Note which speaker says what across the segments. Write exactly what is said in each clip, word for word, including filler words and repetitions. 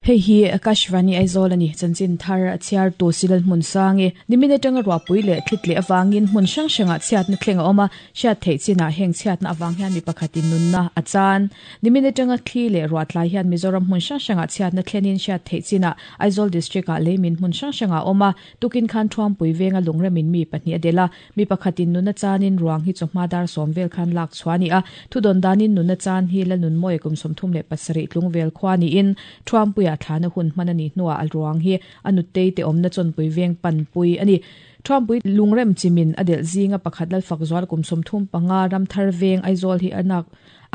Speaker 1: Hei hi Akashvani Aizawl ani chanchin thar a chhiar tu Silal hmun sangi nimin atanga ruahpui leh thli tleh awangin hmun hrang hrangah chhiatna thleng a awm a hriat theih chinah heng chhiatna awang hian mi pakhatin nunna a chan nimin atanga thli leh ruah tlai hian Mizoram hmun hrang hrangah chhiatna thlenin hriat theih chinah Aizawl district ah leimin hmun hrang hrangah a awm a tukin khan Thuampui venga lungremin mi pahnih a del a mi pakhatin nunna chanin ruang hi chawhma dar sawm vel khan lak chhuah a ni a thudon danin nunna chan hi la nun mawi kum sawmthum leh pasarih tlung vel khua niin Thuampuia thlana hun hman ani hnuah a ruang hi a nutei te awmna chawnpui veng panpui ani Thuampui lungrem chimin a delh zinga pakhat lalfak zual kum sawmthum panga ramthar veng Aizawl hi anak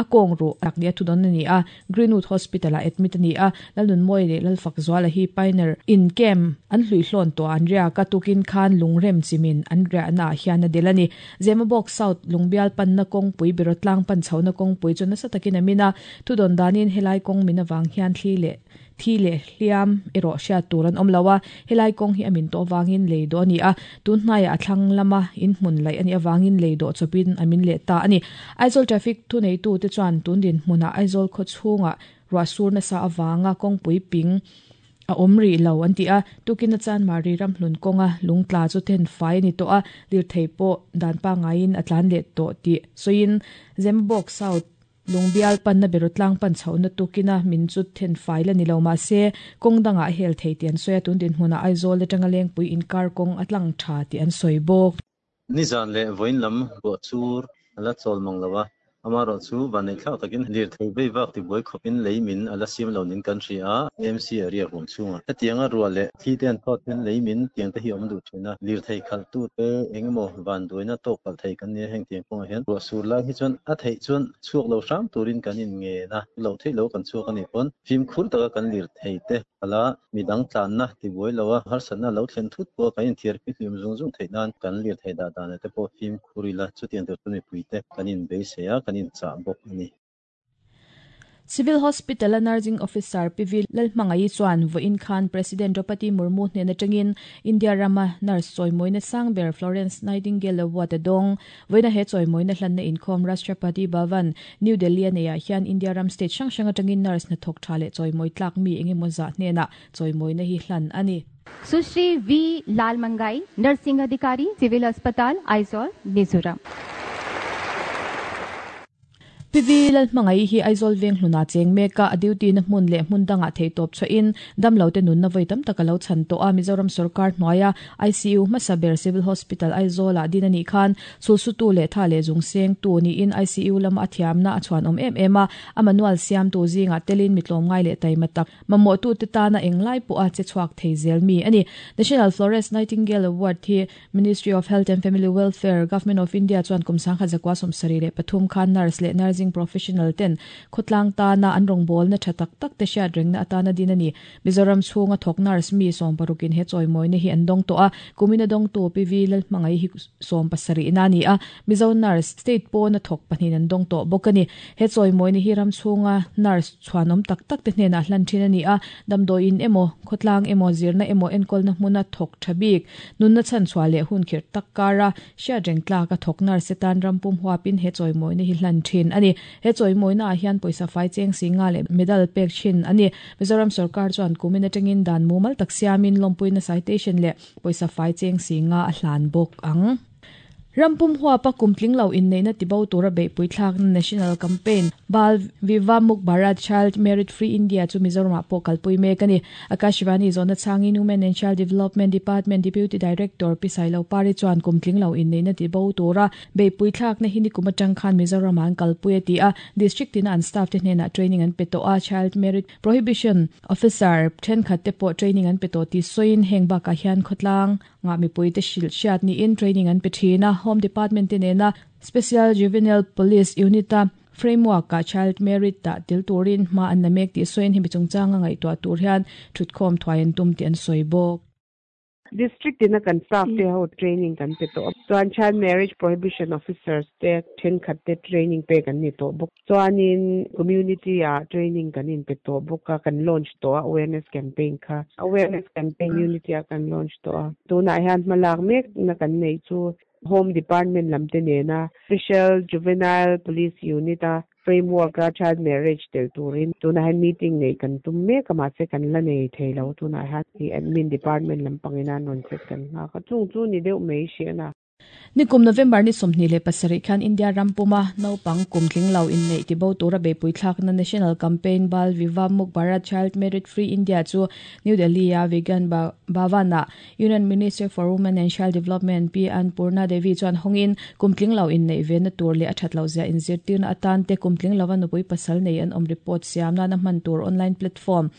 Speaker 1: a kawng ru tak nia thudon ani a Greenwood Hospital a admit ani a lalnun mawi leh lalfak zuala hi Pioneer in camp an hlui hlawn tawh an riak a tukin khan lungrem chimin an riahna ah hian a del ani Zemabawk South lungbial panna kawngpui Birotlang pan chhohna kawngpui chu nasa takin a min a thudon danin helai kawng min awang hian thli leh thi leh hliam erawh hriat tur an awm lo a helai kawng hi a min tawh awangin lei dawh ani a tun hnaiah a thlang lama in hmun laih ani awangin lei dawh chawpin a min leh ta ani Aizawl traffic thu neitu te chuan tun din hmunah Aizawl khaw chhungah ruah sur nasa awanga kawngpui ping a awm rih lo an ti a tukin a chan mari ram hlun kawnga lungtla chu then fai ani tawh a lirthei pawh dan pangaiin a tlan leh tawh tih sawiin Zemabawk South lungbial panna Birotlang pan chhohna tukina min chu then fai la ni lo mahse kawng dangah hel thei tih an sawi a tun din hmunah Aizawl atanga lengpui inkar kawng a tlang tha tih an sawi bawk.
Speaker 2: Nizan leh vawiin lam ruah chur a la chawl mang lo a amarawh chu vanneih thlak takin lirthei vei vak tibuai khawpin lei min a la siam lo nin kan hria a M C area huam chhungah hetianga ruah leh thli te an thawt hian lei min tiang te hi awm duh thin a lirthei khalh tu te engemaw van duaina tawk palh thei kan nia heng tiang kawngah hian ruah sur lai hi chuan a theih chuan chhuak lo hram turin kan in ngen a lo theih lo kan chhuak ani pawn fimkhur taka kan lirthei te khala midang tlanna tibuai lo a harsatna lo thlen thut pawh kan inthiar hlim zung zung theih nan kan lirthei dah dan te pawh fimkhur ila chutiang tur chu mipui te kan in beisei a kan in chah bawk ani.
Speaker 1: Civil Hospital a Nursing Officer P V Lalhmangai chuan vawiin khan President Draupadi Murmu hnen atangin India rama nurse chawimawina sangber Florence Nightingale Award a dawng vawiina he chawimawina hlanna inkhawm Rashtrapati Bhavan New Delhi a neiah hian India ram state hrang hrang atangin nurse hna thawk tha leh chawimawi tlak mi engemaw zah hnenah chawimawina hi hlan ani.
Speaker 3: Sushri V Lalmangai nursing adhikari civil अस्पताल Aizawl Mizoram.
Speaker 1: P V Lalhmangai hi Aizawl veng hluna cheng meka a duty na hmun leh hmun danga thei tawp chhoin damlo te nun na voi tam taka lo chan to a Mizoram sarkar hnuaia I C U hmasaber Civil Hospital Aizawl ah din ani khan sulsutu leh tha leh zung seng tu ni in I C U lama a thiamna a chuan awm em em a a manual siam tu zinga telin mitlawm ngai leh taima tak mamawh tu te tana englai pawh a che chhuak thei zel mi ani National Florence Nightingale Award hi Ministry of Health and Family Welfare Government of India chuan kum sangkhat zakwa sawmsarih leh pathum khan nurse leh nursing professional ten khawtlang tana an rawngbâwl na tha tak tak te hriat rengna atana din ani Mizoram chhunga thawk nurse mi sawm parukin he chawimawina hi an dawng tawh a kumina dawng tu P V Lalhmangai hi sawm pasarih na ani a Mizo nurse state pawna thawk pahnih an dawng tawh bawk ani he chawimawina hi ram chhunga nurse chhuanawm tak tak te hnenah hlan thin ani a damdawiin emaw khawtlang emaw zirna emaw enkawlna hmuna thawk tha bik nunna chhan chhuah leh hun khirh tak kara hriat reng tlak a thawk nurse tan rampum huapin he chawimawina hi hlan thin ani he chawimawina ah hian pawisa fai cheng singa leh medal pek thin ani Mizoram sarkar chuan kumin atangin dan mumal tak siamin lawmpuina citation leh pawisa fai cheng singa a hlan bawk ang. Rampum huapa kumtling lo in neina tibo tura beipui thlak national campaign Bal Viva Muk Bharat Child Merit Free India chu Mizoram ah pawh kalpui mek ani Akashvani zona changin Women and Child Development Department Deputy Director P Sailo Pari chuan kumtling lo in neina tibo tura beipui thlak na hini kum atang khan Mizoram an kalpui ati a district tin an staff te hnena training an pe to a child merit prohibition officer thenkhat te pawh training an pe to ti soin heng bakah hian khawtlang nga mipui te hril hriat ni in training an pe thina Home Department te nena Special Juvenile Police Unit a framework ka child merit ta til turin ma an na mek ti soin hi chungchanga ngai to tur hian thutkhawm thuai an tum ti an soi bawk.
Speaker 4: District ina kan staff te ho training kan pe to chuan child marriage prohibition officers te thenkhat te training pe kan ni to bawk chuanin community a training kan in pe to bawk a kan launch to a awareness campaign kha awareness campaign unity a kan launch to a tunah hian hmalak mek na kan nei chu Home Department lam te nena Special Juvenile Police Unit a Framework a child marriage tel turin tuna han meeting nei kan tum me kama che kan la nei theilo tuna han hi admin department lampangina non set kan nga ka chung chu ni deuh mai she na.
Speaker 1: Nikum November ni sawmhnih leh pasarih khan India rampuma naupang kum tling lo in nei ti bo tura beipui thlak na National Campaign Bal Vivah Muk Bharat Child Marriage Free India chu New Delhi a Vigyan Bhavana Union Minister for Women and Child Development P Annapurna Devi chuan hawngin kum tling lo in nei ve na tur leh a that lo zia inzirtirna atan te kum tling lova nupui pasal nei an awm report siam nana hman tur online platform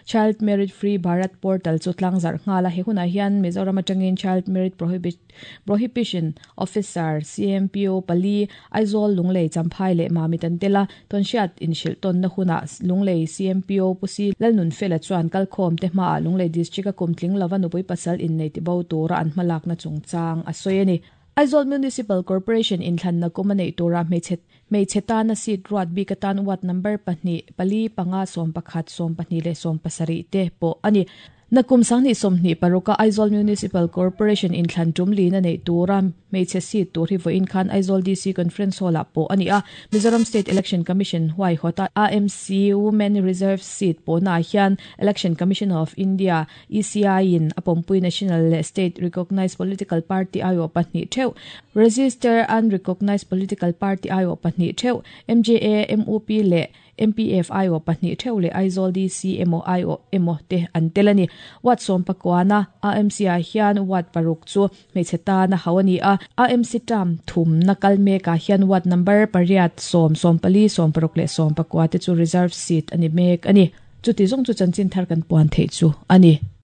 Speaker 1: Child Marriage Free Bharat Portal chu tlangzarh nghala he hunah hian Mizoram atangin Child Marriage Prohibition Officer C M P O pali Aizawl Lunglei Champhai leh Mamit an tela tawnhriat inhrilh tawnna hunah Lunglei C M P O Pusi Lalnun Fela chuan kalkhawm te hmaah Lunglei District a kum tling lova nupui pasal innei ti bo tura an hmalakna chungchang a sawi a ni. Aizawl Municipal Corporation inthlanna kum a neih tura hmeichhe hmeichhe tana seat ruat bik atan ward number pahnih pali panga sawm pakhat sawm pahnih leh sawm pasarih te pawh a ni. Nakum sangni sawmhnih paruka Aizawl Municipal Corporation inthlan tum lina nei tura hmeichhe seat tur hi vawiin khan Aizawl D C Conference Hall ah pawh a ni a. Mizoram State Election Commission huai hawta A M C Women Reserve Seat pawhnaah hian Election Commission of India E C I in a pawmpui National leh State Recognized Political Party aiawh pahnih theuh Register Unrecognized Political Party aiawh pahnih theuh M J A M U P leh M P F aiawh pahnih theuh leh Aizawl D C emaw aiawh emaw te an tel a ni. Ward sawm pakuana A M C ah hian ward paruk chu hmeichhe tana ho a ni a. A M C term thum na kal mekah hian ward number pariat sawm sawm pali sawm paruk leh sawm pakua te chu reserve seat a ni mek a ni. Chuti zawng chu chanchin thar kan puan theih chu a ni.